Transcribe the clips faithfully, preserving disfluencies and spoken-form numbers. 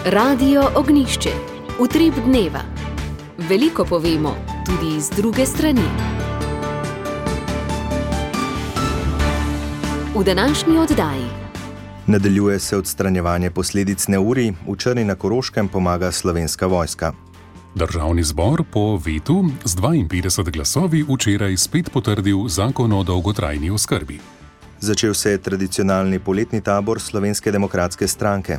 Radio Ognjišče. Utrip dneva. Veliko povemo, tudi iz druge strani. V današnji oddaji. Nadaljuje se odstranjevanje posledic neurij, v Črni na Koroškem pomaga Slovenska vojska. Državni zbor po vetu z dvainpetdeset glasovi včeraj spet potrdil zakon o dolgotrajni oskrbi. Začel se je tradicionalni poletni tabor Slovenske demokratske stranke.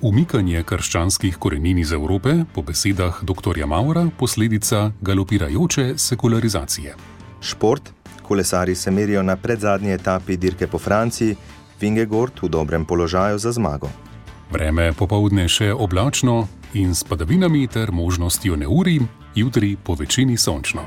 Umikanje krščanskih korenin iz Evrope, po besedah doktorja Maura, posledica galopirajoče sekularizacije. Šport. Kolesarji se merijo na predzadnji etapi dirke po Franciji, Vingegaard v dobrem položaju za zmago. Vreme popoldne še oblačno in s padavinami ter možnostjo neurij, jutri po večini sončno.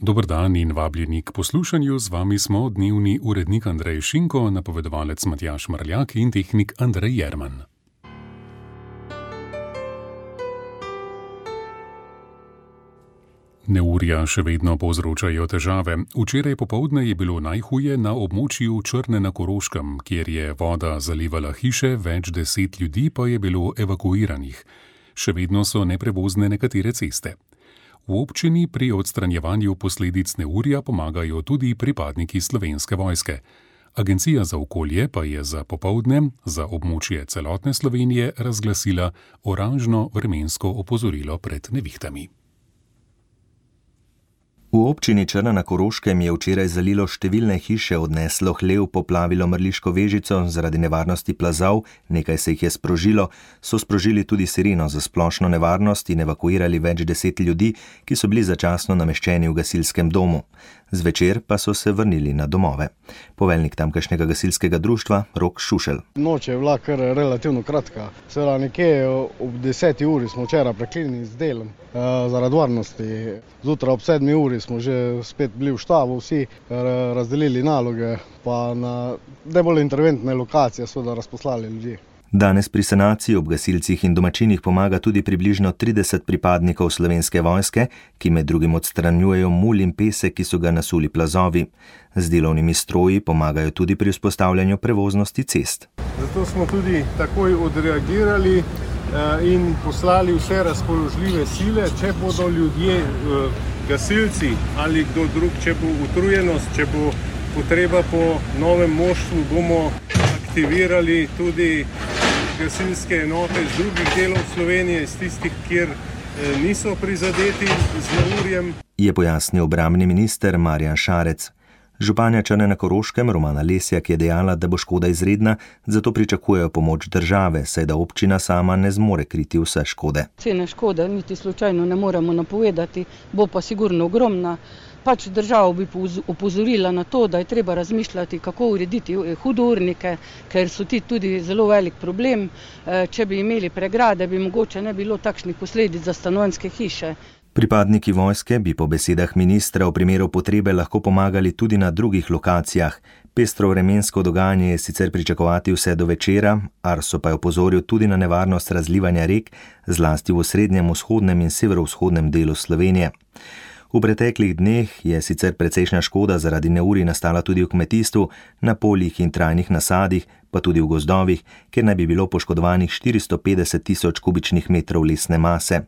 Dober dan in vabljeni k poslušanju, z vami smo dnevni urednik Andrej Šinko, napovedovalec Matjaž Marljak in tehnik Andrej Jerman. Neurja še vedno povzročajo težave. Včeraj popoldne je bilo najhuje na območju Črne na Koroškem, kjer je voda zalivala hiše, več deset ljudi pa je bilo evakuiranih. Še vedno so neprevozne nekatere ceste. V občini pri odstranjevanju posledic neurja pomagajo tudi pripadniki Slovenske vojske. Agencija za okolje pa je za popoldne za območje celotne Slovenije razglasila oranžno vremensko opozorilo pred nevihtami. V občini Črna na Koroškem je včeraj zalilo številne hiše, odneslo hlev, poplavilo Mrliško Vežico, zaradi nevarnosti plazov, nekaj se jih je sprožilo, so sprožili tudi sireno za splošno nevarnost in evakuirali več deset ljudi, ki so bili začasno nameščeni v gasilskem domu. Zvečer pa so se vrnili na domove. Poveljnik tamkajšnjega gasilskega društva Rok Šušelj. Noč je bila kar relativno kratka. Seveda nekje ob deseti uri smo včeraj preklinili z delom zaradi varnosti. Zjutraj ob sedmi uri smo že spet bili v štabu, vsi razdelili naloge, pa na najbolj interventne lokacije so da razposlali ljudi. Danes pri sanaciji ob gasilcih in domačinih pomaga tudi približno trideset pripadnikov Slovenske vojske, ki med drugim odstranjujejo mulj in pesek, ki so ga nasuli plazovi. Z delovnimi stroji pomagajo tudi pri vzpostavljanju prevoznosti cest. Zato smo tudi takoj odreagirali in poslali vse razpoložljive sile, če bodo ljudje, gasilci ali kdo drug, če bo utrujenost, če bo potreba po novem moštvu, bomo aktivirali tudi gasilske enote z drugih delov Slovenije, iz tistih, kjer niso prizadeti z neurjem. Je pojasnil obrambni minister Marjan Šarec. Županja Črne na Koroškem Romana Lesjak je dejala, da bo škoda izredna, zato pričakujejo pomoč države, saj da občina sama ne zmore kriti vse škode. Cene škode niti slučajno ne moremo napovedati, bo pa sigurno ogromna. Pač državo bi opozorila na to, da je treba razmišljati, kako urediti hudournike, ker so ti tudi zelo velik problem. Če bi imeli pregrade, bi mogoče ne bilo takšnih posledic za stanovanjske hiše. Pripadniki vojske bi po besedah ministra v primeru potrebe lahko pomagali tudi na drugih lokacijah. Pestro vremensko dogajanje je sicer pričakovati vse do večera, Arso pa je opozoril tudi na nevarnost razlivanja rek, zlasti v srednjem, vzhodnem in severovzhodnem delu Slovenije. V preteklih dneh je sicer precejšnja škoda zaradi neurij nastala tudi v kmetijstvu, na poljih in trajnih nasadih, pa tudi v gozdovih, kjer naj bi bilo poškodovanih štiristo petdeset tisoč kubičnih metrov lesne mase.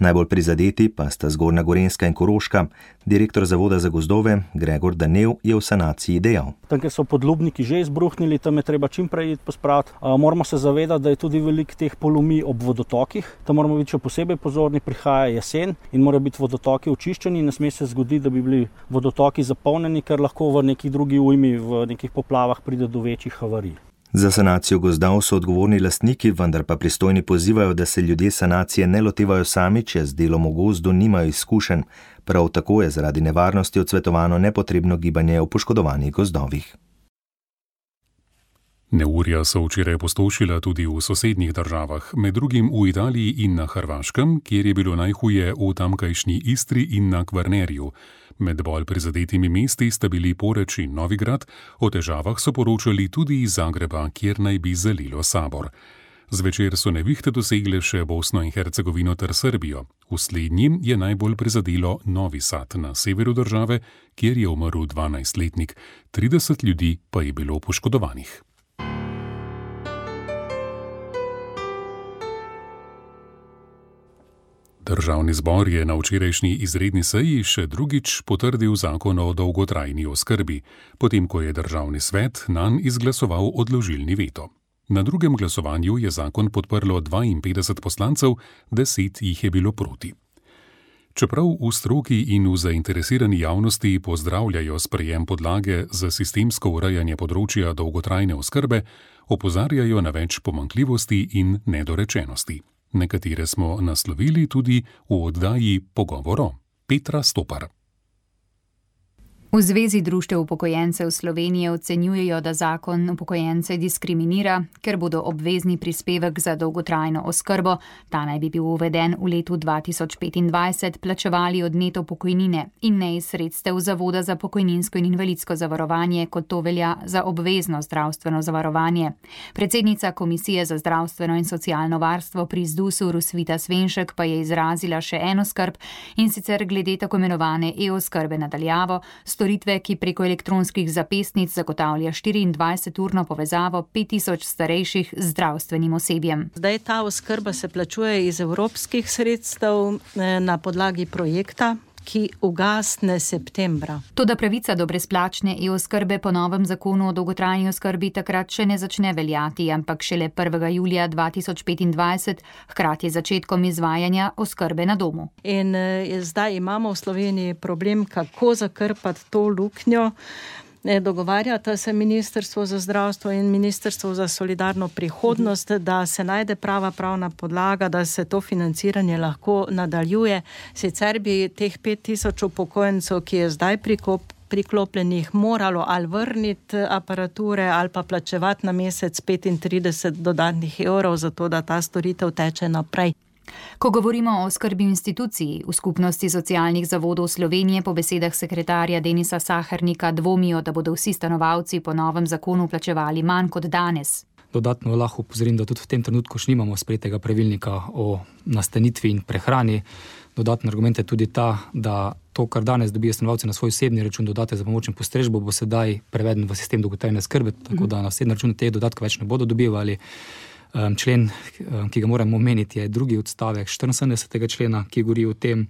Najbolj prizadeti pa sta Zgornja Gorenjska in Koroška. Direktor Zavoda za gozdove Gregor Danev je v sanaciji dejal. Tam, kjer so podlubniki že izbruhnili, tam je treba čim prej iti pospraviti. Moramo se zavedati, da je tudi veliko teh polomij ob vodotokih. Tam moramo biti še posebej pozorni, prihaja jesen in morajo biti vodotoki očiščeni. Ne sme se zgoditi, da bi bili vodotoki zapolnjeni, ker lahko v nekih drugih ujmi, v nekih poplavah pride do večjih havarij. Za sanacijo gozdov so odgovorni lastniki, vendar pa pristojni pozivajo, da se ljudje sanacije ne lotevajo sami, če z delom v gozdu nimajo izkušenj. Prav tako je zaradi nevarnosti odsvetovano nepotrebno gibanje v poškodovanih gozdovih. Neurja so včeraj postošila tudi v sosednjih državah, med drugim v Italiji in na Hrvaškem, kjer je bilo najhuje v tamkajšnji Istri in na Kvarnerju. Med bolj prizadetimi mesti sta bili Poreč in Novigrad, o težavah so poročali tudi iz Zagreba, kjer naj bi zalilo Sabor. Zvečer so nevihte dosegle še Bosno in Hercegovino ter Srbijo. V slednji je najbolj prizadelo Novi Sad na severu države, kjer je umrl dvanajstletnik, trideset ljudi pa je bilo poškodovanih. Državni zbor je na včerajšnji izredni seji še drugič potrdil zakon o dolgotrajni oskrbi, potem ko je državni svet nanj izglasoval odložilni veto. Na drugem glasovanju je zakon podprlo dvainpetdeset poslancev, deset jih je bilo proti. Čeprav v stroki in v zainteresirani javnosti pozdravljajo sprejem podlage za sistemsko urejanje področja dolgotrajne oskrbe, opozarjajo na več pomanjkljivosti in nedorečenosti. Nekatere smo naslovili tudi v oddaji Pogovoro. Petra Stopar. V Zvezi društev upokojencev Slovenije ocenjujejo, da zakon upokojence diskriminira, ker bodo obvezni prispevek za dolgotrajno oskrbo, ta naj bi bil uveden v letu dva tisoč petindvajset, plačevali od neto pokojnine in ne iz sredstev Zavoda za pokojninsko in invalidsko zavarovanje, kot to velja za obvezno zdravstveno zavarovanje. Predsednica Komisije za zdravstveno in socialno varstvo pri ZDUS-u Rosvita Svenšek pa je izrazila še eno skrb, in sicer glede tako imenovane e-oskrbe na daljavo, storitve, ki preko elektronskih zapestnic zagotavlja štiriindvajseturno povezavo pet tisoč starejših z zdravstvenim osebjem. Zdaj ta oskrba se plačuje iz evropskih sredstev na podlagi projekta, ki ugasne septembra. Toda pravica do brezplačne e-oskrbe po novem zakonu o dolgotrajni oskrbi takrat še ne začne veljati, ampak šele prvega julija dva tisoč petindvajset, hkrati začetkom izvajanja oskrbe na domu. In eh, zdaj imamo v Sloveniji problem, kako zakrpati to luknjo. Dogovarjata se Ministrstvo za zdravstvo in Ministrstvo za solidarno prihodnost, da se najde prava pravna podlaga, da se to financiranje lahko nadaljuje. Sicer bi teh pet tisoč upokojencev, ki je zdaj prikop, priklopljenih, moralo ali vrniti aparature ali pa plačevati na mesec petintrideset dodatnih evrov, zato da ta storitev teče naprej. Ko govorimo o oskrbi instituciji, v Skupnosti socialnih zavodov Slovenije po besedah sekretarja Denisa Sahernika dvomijo, da bodo vsi stanovalci po novem zakonu plačevali manj kot danes. Dodatno lahko opozorim, da tudi v tem trenutku še nimamo sprejetega pravilnika o nastanitvi in prehrani. Dodatni argument je tudi ta, da to, kar danes dobijo stanovalci na svoj osebni račun, dodatek za pomoč in postrežbo, bo sedaj preveden v sistem dolgotrajne oskrbe, tako da na osebni račun te dodatke več ne bodo dobivali. Člen, ki ga moramo omeniti, je drugi odstavek štiriinsedemdesetega člena, ki govori o tem,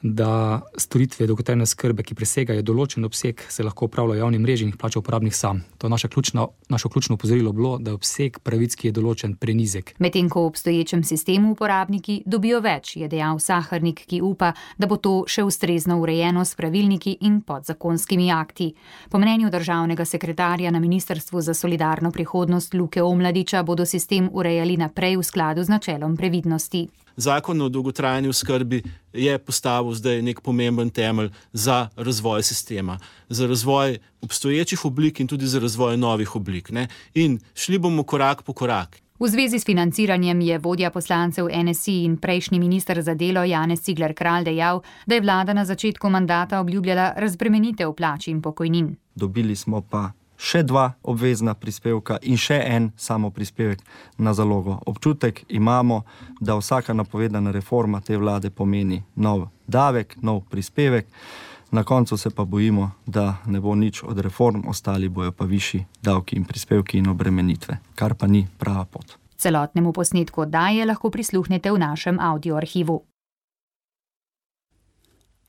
da storitve dolgotrajne oskrbe, ki presegajo določen obseg, se lahko opravljajo v javni mreži in jih plača uporabnik sam. To je naša ključna, naše ključno opozorilo bilo, da je obseg pravic, ki je določen, prenizek. Medtem ko v obstoječem sistemu uporabniki dobijo več, je dejal Sahernik, ki upa, da bo to še ustrezno urejeno s pravilniki in podzakonskimi akti. Po mnenju državnega sekretarja na Ministrstvu za solidarno prihodnost Luke Omladiča bodo sistem urejali naprej v skladu z načelom previdnosti. Zakon o dolgotrajni oskrbi je postavil zdaj nek pomemben temelj za razvoj sistema, za razvoj obstoječih oblik in tudi za razvoj novih oblik, ne? In šli bomo korak po korak. V zvezi s financiranjem je vodja poslancev N S I in prejšnji minister za delo Janez Cigler Kralj dejal, da je vlada na začetku mandata obljubljala razbremenitev plač in pokojnin. Dobili smo pa še dva obvezna prispevka in še en samo prispevek na zalogo. Občutek imamo, da vsaka napovedana reforma te vlade pomeni nov davek, nov prispevek. Na koncu se pa bojimo, da ne bo nič od reform, ostali bojo pa višji davki in prispevki in obremenitve, kar pa ni prava pot. Celotnemu posnetku oddaje lahko prisluhnete v našem audioarhivu.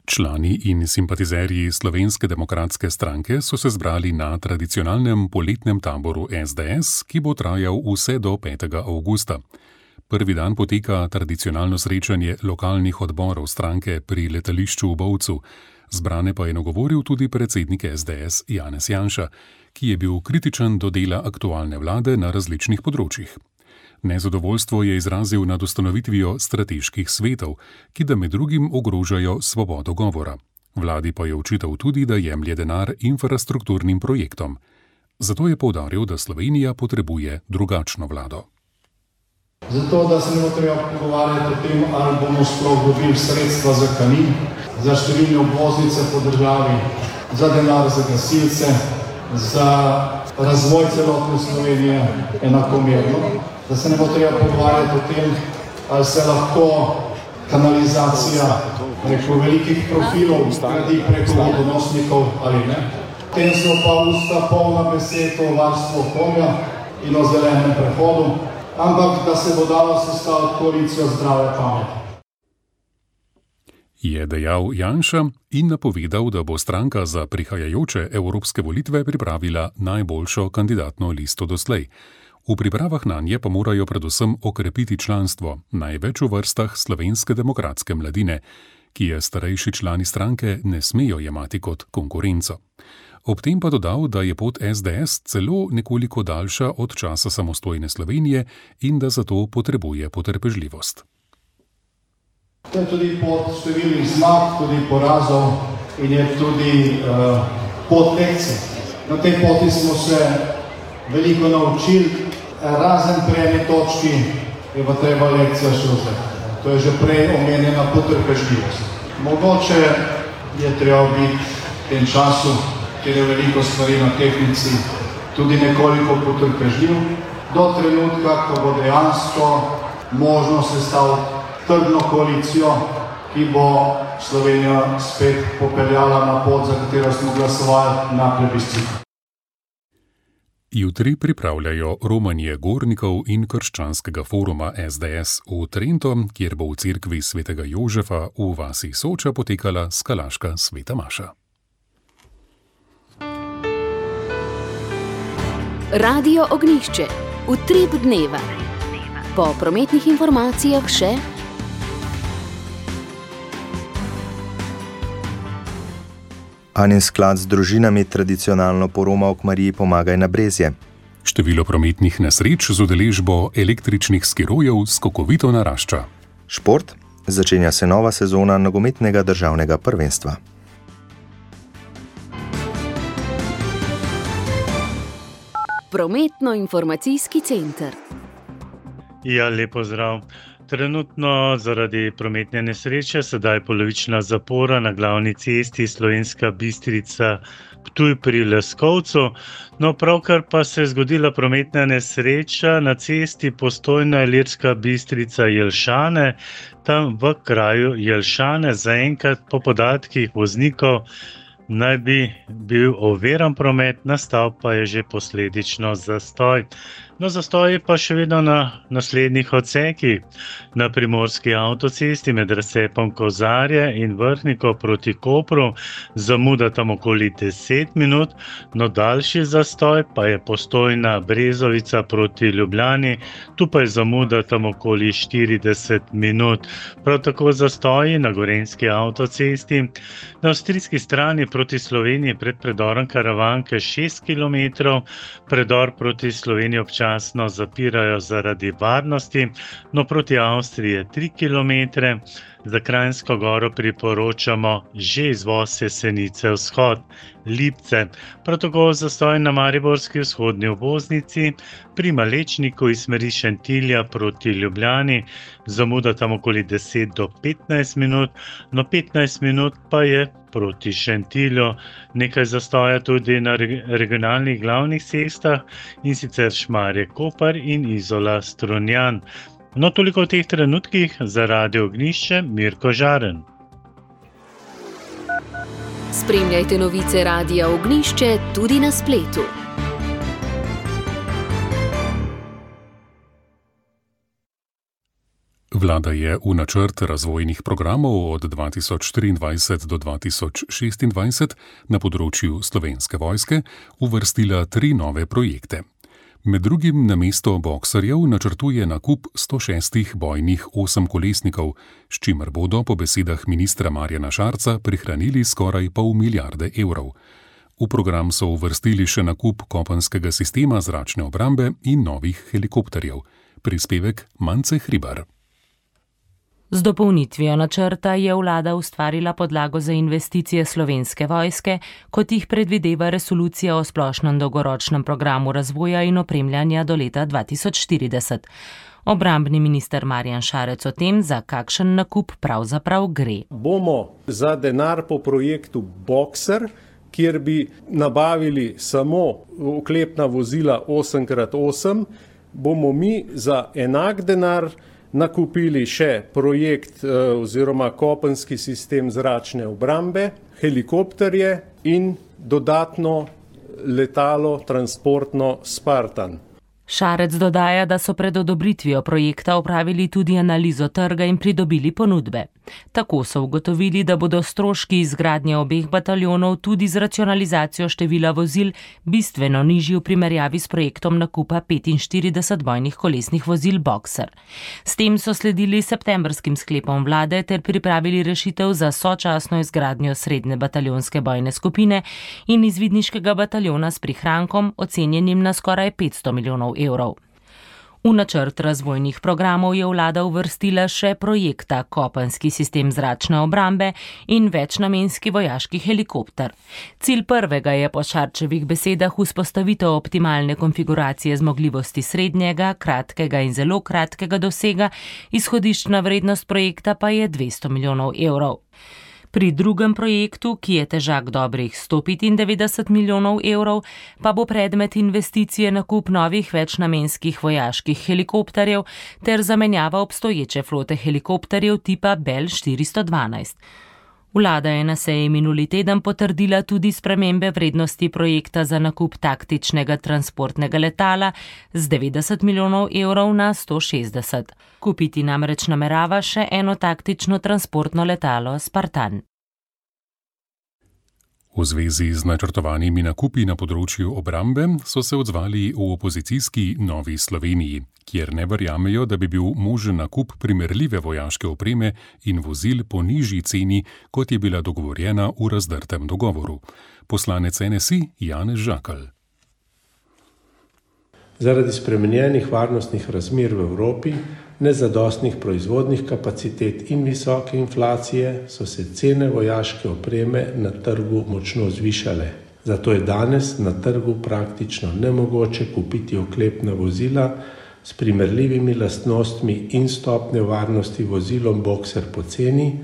Člani in simpatizerji Slovenske demokratske stranke so se zbrali na tradicionalnem poletnem taboru S D S, ki bo trajal vse do petega avgusta. Prvi dan poteka tradicionalno srečanje lokalnih odborov stranke pri letališču v Bovcu. Zbrane pa je nagovoril tudi predsednik S D S Janez Janša, ki je bil kritičen do dela aktualne vlade na različnih področjih. Nezadovoljstvo je izrazil nad ustanovitvijo strateških svetov, ki da med drugim ogrožajo svobodo govora. Vladi pa je očital tudi, da jemlje denar infrastrukturnim projektom. Zato je poudaril, da Slovenija potrebuje drugačno vlado. Zato, da se ne bo treba pogovarjati o tem, ali bomo sploh dobili sredstva za Kanin, za številne obvoznice po državi, za denar za gasilce, za razvoj celotne Slovenije enakomerno. Da se ne bo treba pogovarjati o tem, ali se lahko kanalizacija preko velikih profilov gradi preko vodonosnikov ali ne. Tem so pa usta polna besed o varstvu okolja in o zelenem prehodu, ampak da se bo dala sestaviti koalicijo zdrave pameti. je dejal Janša in napovedal, da bo stranka za prihajajoče evropske volitve pripravila najboljšo kandidatno listo doslej. V pripravah nanje pa morajo predvsem okrepiti članstvo, največ v vrstah Slovenske demokratske mladine, ki je starejši člani stranke ne smejo jemati kot konkurenco. Ob tem pa dodal, da je pot es de es celo nekoliko daljša od časa samostojne Slovenije in da zato potrebuje potrpežljivost. To je tudi pot številnih zmag, tudi porazov in je tudi uh, pot lekcij. Na tej poti smo se veliko naučili, razen pri eni točki je pa treba lekcija še vzeti. To je že prej omenjena potrpežljivost. Mogoče je treba biti v tem času, kjer je veliko stvari na tehtnici, tudi nekoliko potrpežljiv, do trenutka, ko bo dejansko možno sestaviti trdno koalicijo, ki bo Slovenijo spet popeljala na pot, za katero smo glasovali na plebiscitu. Jutri pripravljajo romanje gornikov in krščanskega foruma es de es v Trento, kjer bo v cerkvi svetega Jožefa v vasi Soča potekala skalaška sveta maša. Radio Ognjišče. Utrip dneva. Po prometnih informacijah še Anin sklad z družinami tradicionalno poromal k Mariji Pomagaj na Brezje. Število prometnih nesreč z udeležbo električnih skirojev skokovito narašča. Šport. Začenja se nova sezona nogometnega državnega prvenstva. Prometno-informacijski center. Ja, lepo zdrav. Trenutno zaradi prometne nesreče sedaj polovična zapora na glavni cesti Slovenska Bistrica Ptuj pri Leskovcu. No, pravkar pa se je zgodila prometna nesreča na cesti Postojna Ilirska Bistrica Jelšane. Tam v kraju Jelšane zaenkrat po podatkih voznikov naj bi bil oviran promet, nastal pa je že posledično zastoj. No, zastoj je pa še vedno na naslednjih odsekih. Na primorski avtocesti med razcepom Kozarje in Vrhniko proti Kopru zamuda tam okoli deset minut, no daljši zastoj pa je Postojna Brezovica proti Ljubljani, tu pa je zamuda tam okoli štirideset minut. Prav tako zastoji na gorenjski avtocesti. Na avstrijski strani proti Sloveniji pred predorom Karavanke šest kilometrov, predor proti Sloveniji občasno zapirajo zaradi varnosti, no proti Avstriji je tri kilometre. Za Kranjsko goro priporočamo že izvoz Jesenice vzhod, Lipce. Prav tako zastoj na mariborski vzhodni obvoznici, pri Malečniku iz smeri Šentilja proti Ljubljani, zamuda tam okoli deset do petnajst minut, no petnajst minut pa je proti Šentilju. Nekaj zastoja tudi na regionalnih glavnih cestah, in sicer Šmarje-Kopar in Izola-Strunjan. No, toliko v teh trenutkih. Za Radio Ognjišče, Mirko Žaren. Spremljajte novice Radia Ognjišče tudi na spletu. Vlada je v načrt razvojnih programov od dva tisoč štiriindvajset do dva tisoč šestindvajset na področju Slovenske vojske uvrstila tri nove projekte. Med drugim namesto boksarjev načrtuje nakup sto šestih bojnih osemkolesnikov, s čimer bodo po besedah ministra Marjana Šarca prihranili skoraj pol milijarde evrov. V program so uvrstili še nakup kopenskega sistema zračne obrambe in novih helikopterjev. Prispevek Mance Hribar. Z dopolnitvijo načrta je vlada ustvarila podlago za investicije Slovenske vojske, kot jih predvideva resolucija o splošnem dolgoročnem programu razvoja in opremljanja do leta dva tisoč štirideset. Obrambni minister Marjan Šarec o tem, za kakšen nakup pravzaprav gre. Bomo za denar po projektu Boxer, kjer bi nabavili samo oklepna vozila osem krat osem, bomo mi za enak denar nakupili še projekt oziroma kopenski sistem zračne obrambe, helikopterje in dodatno letalo transportno Spartan. Šarec dodaja, da so pred odobritvijo projekta opravili tudi analizo trga in pridobili ponudbe. Tako so ugotovili, da bodo stroški izgradnje obeh bataljonov tudi z racionalizacijo števila vozil bistveno nižji v primerjavi s projektom nakupa petinštirideset bojnih kolesnih vozil Boxer. S tem so sledili septembrskim sklepom vlade ter pripravili rešitev za sočasno izgradnjo srednje bataljonske bojne skupine in izvidniškega bataljona s prihrankom, ocenjenim na skoraj petsto milijonov evrov. V načrt razvojnih programov je vlada uvrstila še projekta kopenski sistem zračne obrambe in večnamenski vojaški helikopter. Cilj prvega je po Šarčevih besedah vzpostavitev optimalne konfiguracije zmogljivosti srednjega, kratkega in zelo kratkega dosega, izhodiščna vrednost projekta pa je dvesto milijonov evrov. Pri drugem projektu, ki je težak dobrih sto petindevetdeset milijonov evrov, pa bo predmet investicije nakup novih večnamenskih vojaških helikopterjev ter zamenjava obstoječe flote helikopterjev tipa Bell štiristo dvanajst. Vlada je na seji minuli teden potrdila tudi spremembe vrednosti projekta za nakup taktičnega transportnega letala z devetdeset milijonov evrov na sto šestdeset. Kupiti namreč namerava še eno taktično transportno letalo Spartan. V zvezi z načrtovanimi nakupi na področju obrambe so se odzvali v opozicijski Novi Sloveniji, kjer ne verjamejo, da bi bil možen nakup primerljive vojaške opreme in vozil po nižji ceni, kot je bila dogovorjena v razdrtem dogovoru. Poslanec N S I Janez Žakelj. Zaradi spremenjenih varnostnih razmer v Evropi, nezadostnih proizvodnih kapacitet in visoke inflacije so se cene vojaške opreme na trgu močno zvišale. Zato je danes na trgu praktično nemogoče kupiti oklepna vozila s primerljivimi lastnostmi in stopnjo varnosti vozilom Boxer po ceni,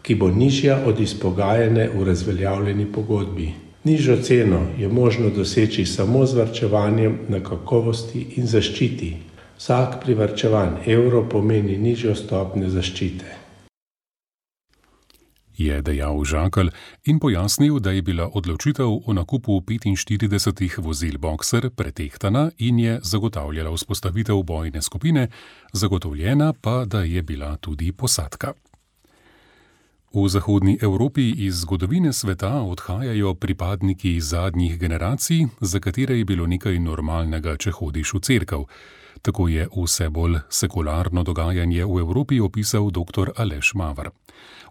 ki bo nižja od izpogajane v razveljavljeni pogodbi. Nižjo ceno je možno doseči samo z varčevanjem na kakovosti in zaščiti. Vsak privarčevan evro pomeni nižjo stopnjo zaščite. Je dejal Žakelj in pojasnil, da je bila odločitev o nakupu petinštiridesetih vozil Boxer pretehtana in je zagotavljala vzpostavitev bojne skupine, zagotovljena pa, da je bila tudi posadka. V zahodni Evropi iz zgodovine sveta odhajajo pripadniki zadnjih generacij, za katere je bilo nekaj normalnega, če hodiš v cerkev. Tako je vse bolj sekularno dogajanje v Evropi opisal dr. Aleš Mavar.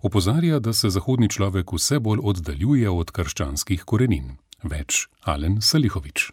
Opozarja, da se zahodni človek vse bolj oddaljuje od krščanskih korenin. Več Alen Salihovič.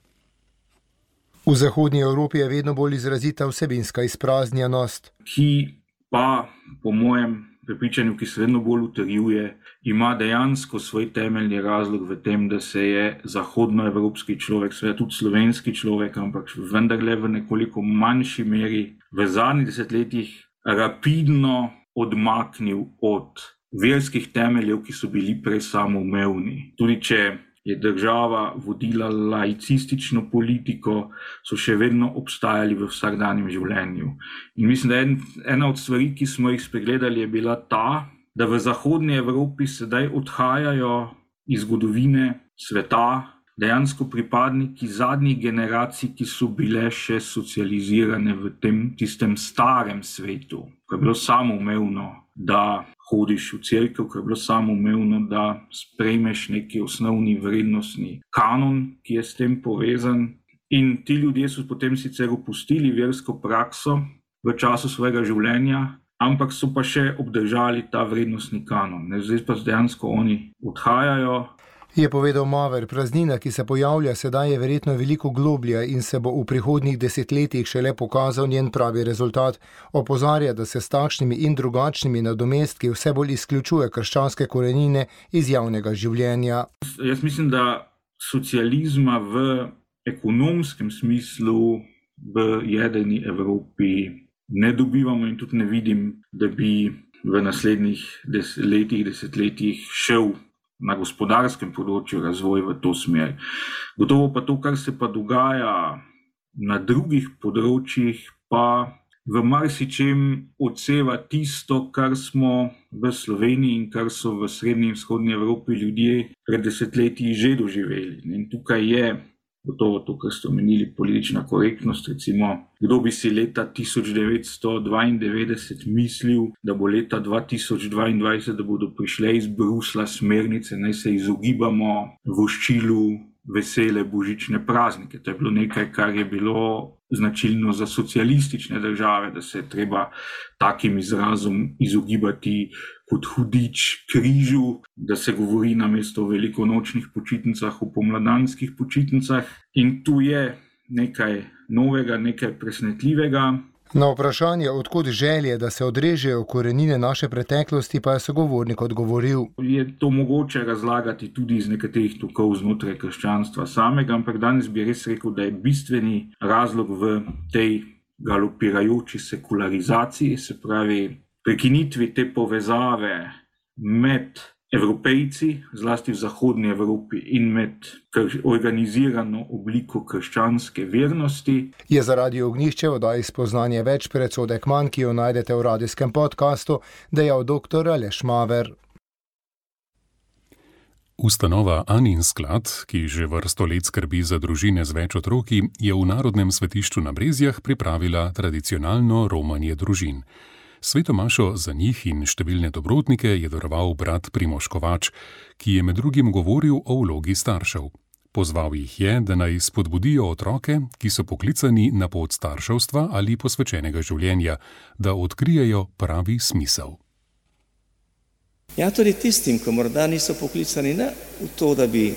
V zahodni Evropi je vedno bolj izrazita vsebinska izpraznjenost, ki pa, po mojem prepričanju, ki se vedno bolj utrjuje, ima dejansko svoj temeljni razlog v tem, da se je zahodnoevropski človek, seveda tudi slovenski človek, ampak vendarle v nekoliko manjši meri v zadnjih desetletjih rapidno odmaknil od verskih temeljev, ki so bili prej samoumevni. Tudi če je država vodila laicistično politiko, so še vedno obstajali v vsakdanjem življenju. In mislim, da en, ena od stvari, ki smo jih spregledali, je bila ta, da v zahodni Evropi sedaj odhajajo iz zgodovine sveta dejansko pripadniki zadnjih generacij, ki so bile še socializirane v tem tistem starem svetu, ko je bilo samoumevno, da hodiš v cerkev, ko je bilo samoumevno, da sprejmeš neki osnovni vrednostni kanon, ki je s tem povezan. In ti ljudje so potem sicer opustili versko prakso v času svojega življenja, ampak so pa še obdržali ta vrednostni kanon. Zdaj pa dejansko oni odhajajo. Je povedal Maver, praznina, ki se pojavlja sedaj, je verjetno veliko globlja in se bo v prihodnjih desetletjih šele pokazal njen pravi rezultat. Opozarja, da se s takšnimi in drugačnimi nadomestki vse bolj izključuje krščanske korenine iz javnega življenja. Jaz mislim, da socializma v ekonomskem smislu v jedrni Evropi ne dobivamo in tudi ne vidim, da bi v naslednjih des- letih, desetletjih šel na gospodarskem področju razvoj v to smer. Gotovo pa to, kar se pa dogaja na drugih področjih, pa v marsičem odseva tisto, kar smo v Sloveniji in kar so v srednji in vzhodni Evropi ljudje pred desetletji že doživeli. In tukaj je gotovo to, kar ste omenili, politična korektnost. Recimo, kdo bi si leta tisoč devetsto dvaindevetdeset mislil, da bo leta dva tisoč dvaindvajset, da bodo prišle iz Bruslja smernice, naj se izogibamo voščilu vesele božične praznike. To je bilo nekaj, kar je bilo značilno za socialistične države, da se je treba takim izrazom izogibati kot hudič križu, da se govori namesto o velikonočnih počitnicah o pomladanskih počitnicah. In tu je nekaj novega, nekaj presenetljivega. Na vprašanje, odkud želje, da se odrežejo korenine naše preteklosti, pa je sogovornik odgovoril. Je to mogoče razlagati tudi iz nekaterih tokov znotraj krščanstva samega, ampak danes bi res rekel, da je bistveni razlog v tej galopirajoči sekularizaciji, se pravi prekinitvi te povezave med Evropejci, zlasti v zahodni Evropi, in med organizirano obliko krščanske vernosti. Je za Radio Ognjišče v oddaji Spoznanje več predsodek manj, ki jo najdete v radijskem podkastu, dejal doktor Aleš Maver. Ustanova Anin sklad, ki že vrsto let skrbi za družine z več otroki, je v Narodnem svetišču na Brezjah pripravila tradicionalno romanje družin. Svetomašo za njih in številne dobrotnike je daroval brat Primož Kovač, ki je med drugim govoril o vlogi staršev. Pozval jih je, da naj spodbudijo otroke, ki so poklicani na pot starševstva ali posvečenega življenja, da odkrijejo pravi smisel. Ja, tudi tistim, ko morda niso poklicani ne v to, da bi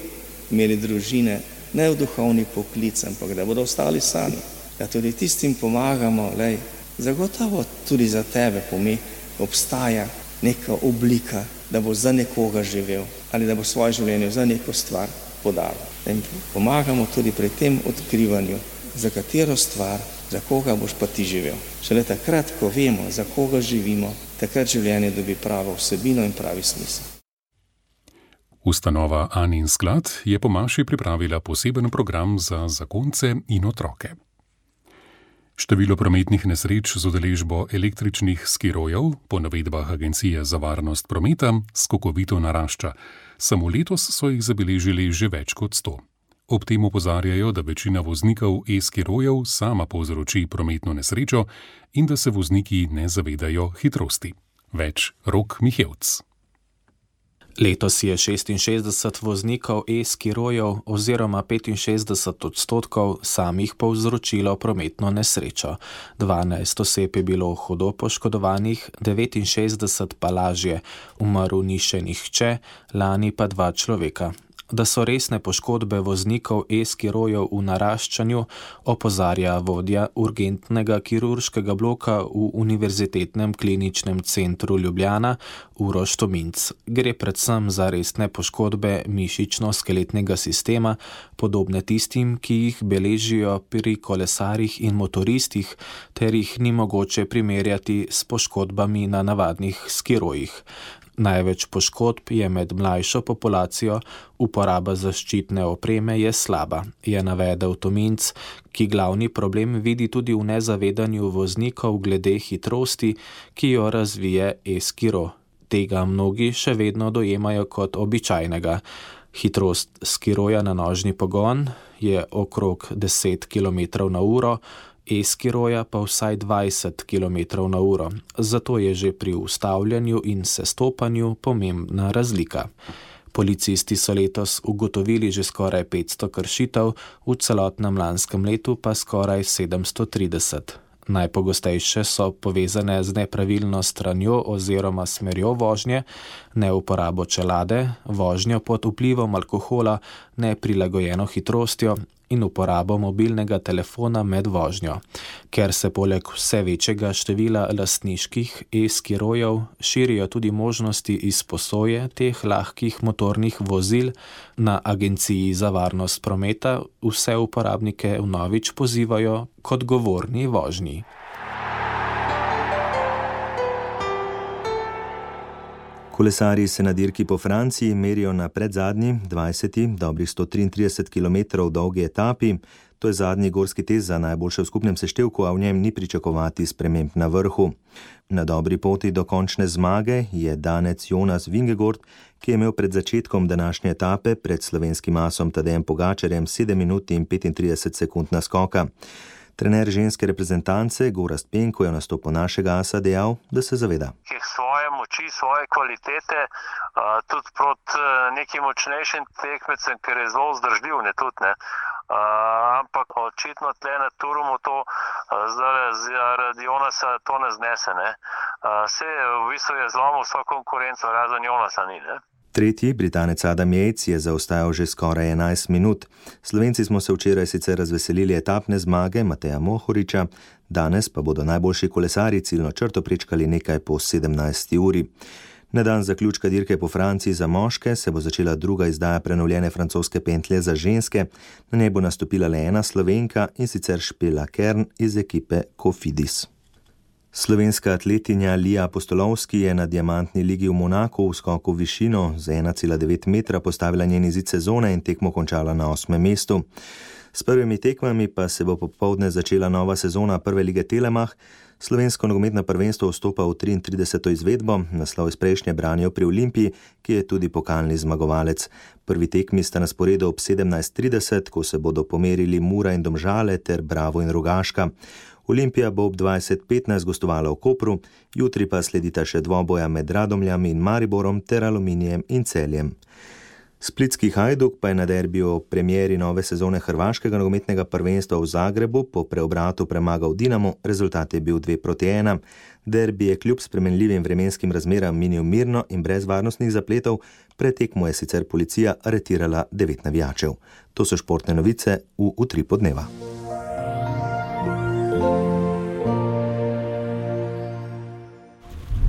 imeli družine, ne v duhovni poklic, ampak da bodo ostali sami. Ja, tudi tistim pomagamo, lej, zagotovo tudi za tebe pomeni, obstaja neka oblika, da boš za nekoga živel ali da boš svoje življenje za neko stvar podal. In pomagamo tudi pri tem odkrivanju, za katero stvar, za koga boš pa ti živel. Šele takrat, ko vemo, za koga živimo, takrat življenje dobi pravo vsebino in pravi smisel. Ustanova Anin sklad je po maši pripravila poseben program za zakonce in otroke. Število prometnih nesreč z udeležbo električnih skirojev, po navedbah Agencije za varnost prometa, skokovito narašča. Samo letos so jih zabeležili že več kot sto. Ob tem opozarjajo, da večina voznikov e-skirojev sama povzroči prometno nesrečo in da se vozniki ne zavedajo hitrosti. Več Rok Mihevc. Letos je šestinšestdeset voznikov e-skirojev oziroma petinšestdeset odstotkov samih povzročilo prometno nesrečo. dvanajst oseb je bilo hudo poškodovanih, devetinšestdeset pa lažje, umrl ni še nihče, lani pa dva človeka. Da so resne poškodbe voznikov e-skirojev v naraščanju, opozarja vodja urgentnega kirurškega bloka v Univerzitetnem kliničnem centru Ljubljana Uroš Tominc. Gre predvsem za resne poškodbe mišično-skeletnega sistema, podobne tistim, ki jih beležijo pri kolesarjih in motoristih, ter jih ni mogoče primerjati s poškodbami na navadnih skirojih. Največ poškodb je med mlajšo populacijo, uporaba zaščitne opreme je slaba, je navedel Tominc, ki glavni problem vidi tudi v nezavedanju voznikov glede hitrosti, ki jo razvije e-skiro. Tega mnogi še vedno dojemajo kot običajnega. Hitrost skiroja na nožni pogon je okrog deset kilometrov na uro, e-skiroja pa vsaj dvajset kilometrov na uro, zato je že pri ustavljanju in sestopanju pomembna razlika. Policisti so letos ugotovili že skoraj petsto kršitev, v celotnem lanskem letu pa skoraj sedemsto trideset. Najpogostejše so povezane z nepravilno stranjo oziroma smerjo vožnje, neuporabo čelade, vožnjo pod vplivom alkohola, neprilagojeno hitrostjo in uporabo mobilnega telefona med vožnjo. Ker se poleg vse večjega števila lastniških e-skirojev širijo tudi možnosti izposoje teh lahkih motornih vozil, na Agenciji za varnost prometa vse uporabnike vnovič pozivajo k odgovorni vožnji. Kolesarji se na dirki po Franciji merijo na predzadnji, dvajseti, dobrih sto triintrideset kilometrov dolgi etapi. To je zadnji gorski test za najboljše v skupnem seštevku, a v njem ni pričakovati sprememb na vrhu. Na dobri poti do končne zmage je danec Jonas Vingegaard, ki je imel pred začetkom današnje etape pred slovenskim asom Tadejem Pogačarjem sedem minut in petintrideset sekund naskoka. Trener ženske reprezentance Gorazd Penko je v nastopu našega asa dejal, da se zaveda. Svoje moči, svoje kvalitete, tudi proti nekim močnejšim tekmecem, ker je zelo vzdržljiv, ne tudi ne. Ampak očitno tle na Turumu to zaradi Jonasa to ne znese, ne. Vse v bistvu je zlomil vso konkurenco, razen Jonasa ni, ne. Tretji, Britanec Adam Yates, je zaostajal že skoraj enajst minut. Slovenci smo se včeraj sicer razveselili etapne zmage Mateja Mohoriča, danes pa bodo najboljši kolesarji ciljno črto prečkali nekaj po sedemnajsti uri. Na dan zaključka dirke po Franciji za moške se bo začela druga izdaja prenovljene francoske pentlje za ženske. Na njej bo nastopila le ena Slovenka, in sicer Špela Kern iz ekipe Cofidis. Slovenska atletinja Lija Apostolovski je na diamantni ligi v Monaku v skoku v višino z ena cela devet metra postavila njen izid sezone in tekmo končala na osmem mestu. S prvimi tekmami pa se bo popoldne začela nova sezona prve lige Telemach. Slovensko nogometno prvenstvo vstopa v triintrideseto izvedbo, naslov iz prejšnje branijo pri Olimpiji, ki je tudi pokalni zmagovalec. Prvi tekmi sta na sporedu ob sedemnajst trideset, ko se bodo pomerili Mura in Domžale ter Bravo in Rogaška. Olimpija bo ob dvajset petnajst gostovala v Kopru, jutri pa sledita še dvoboja med Radomljami in Mariborom ter Aluminijem in Celjem. Splitski Hajduk pa je na derbiju o premieri nove sezone hrvaškega nogometnega prvenstva v Zagrebu po preobratu premagal Dinamo, rezultat je bil dve proti ena. Derbi je kljub spremenljivim vremenskim razmeram minil mirno in brez varnostnih zapletov, pred tekmo je sicer policija aretirala devet navijačev. To so športne novice v Utripu dneva.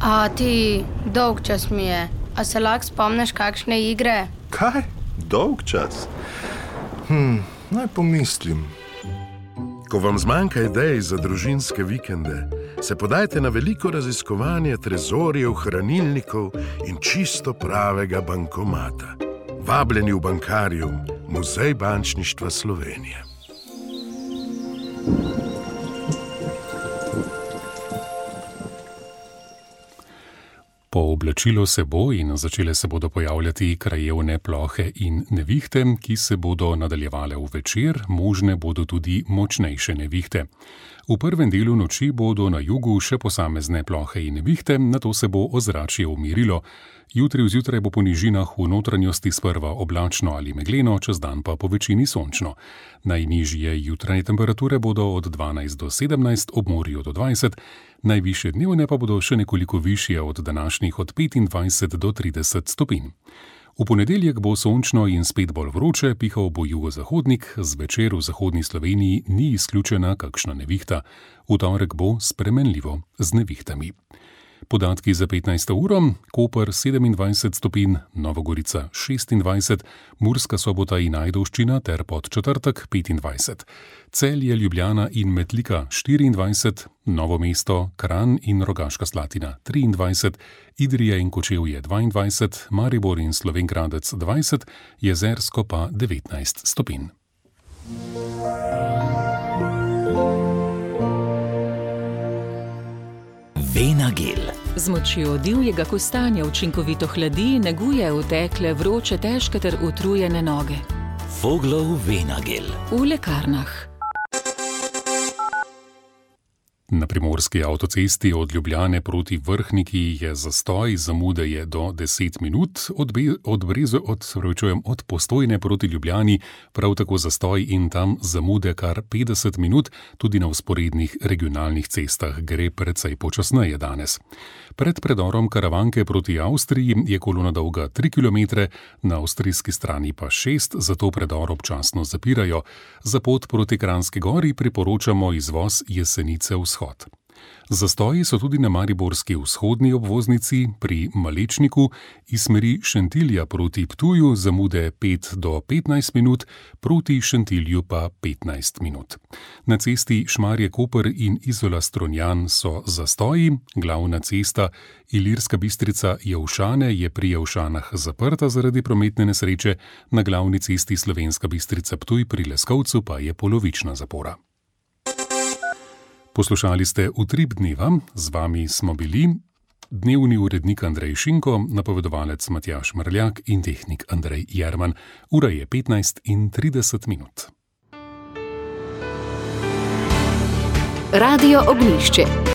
A ti, dolg čas mi je. A se lahko spomniš kakšne igre? Kaj? Dolg čas? Hm, naj pomislim. Ko vam zmanjka idej za družinske vikende, se podajte na veliko raziskovanje trezorjev, hranilnikov in čisto pravega bankomata. Vabljeni v Bankarium, Muzej bančništva Slovenije. Pooblačilo se bo in začele se bodo pojavljati krajevne plohe in nevihte, ki se bodo nadaljevale v večer, možne bodo tudi močnejše nevihte. V prvem delu noči bodo na jugu še posamezne plohe in nevihte, nato se bo ozračje umirilo. Jutri vzjutraj bo po nižinah v notranjosti sprva oblačno ali megleno, čez dan pa po večini sončno. Najnižje jutranje temperature bodo od dvanajst do sedemnajst, ob morju do dvajset, najvišje dnevne pa bodo še nekoliko višje od današnjih od petindvajset do trideset stopinj. V ponedeljek bo sončno in spet bolj vroče, pihal bo jugozahodnik, zvečer v zahodni Sloveniji ni izključena kakšna nevihta. V torek bo spremenljivo z nevihtami. Podatki za petnajsto uro: Koper sedemindvajset stopinj, Nova Gorica šestindvajset, Murska Sobota in Ajdovščina ter Podčetrtek petindvajset, Celje, Ljubljana in Metlika štiriindvajset, Novo mesto, Kranj in Rogaška Slatina triindvajset, Idrija in Kočevje dvaindvajset, Maribor in Slovenj Gradec dvajset, Jezersko pa devetnajst stopinj. Venagel. Z močjo divjega kostanja učinkovito hladi, neguje utekle, vroče, težke ter utrujene noge. Voglov Venagel. V lekarnah. Na primorski avtocesti od Ljubljane proti Vrhniki je zastoj, zamude je do deset minut, od, be, od, brezo, od, srečujem, od Postojne proti Ljubljani, prav tako zastoj in tam zamude kar petdeset minut, tudi na vzporednih regionalnih cestah gre precej počasneje danes. Pred predorom Karavanke proti Avstriji je kolona dolga tri kilometre, na avstrijski strani pa šest, zato predor občasno zapirajo. Za pot proti Kranjski gori priporočamo izvoz Jesenice vzhod. Zastoji so tudi na mariborski vzhodni obvoznici pri Malečniku iz smeri Šentilja proti Ptuju zamude pet do petnajst minut, proti Šentilju pa petnajst minut. Na cesti Šmarje-Koper in Izola-Strunjan so zastoji, glavna cesta Ilirska Bistrica-Jelšane je pri Jelšanah zaprta zaradi prometne nesreče, na glavni cesti Slovenska Bistrica-Ptuj pri Leskovcu pa je polovična zapora. Poslušali ste Utrip dneva, z vami smo bili dnevni urednik Andrej Šinko, napovedovalec Matjaž Mrljak in tehnik Andrej Jerman. Ura je petnajst in trideset minut. Radio Ognjišče.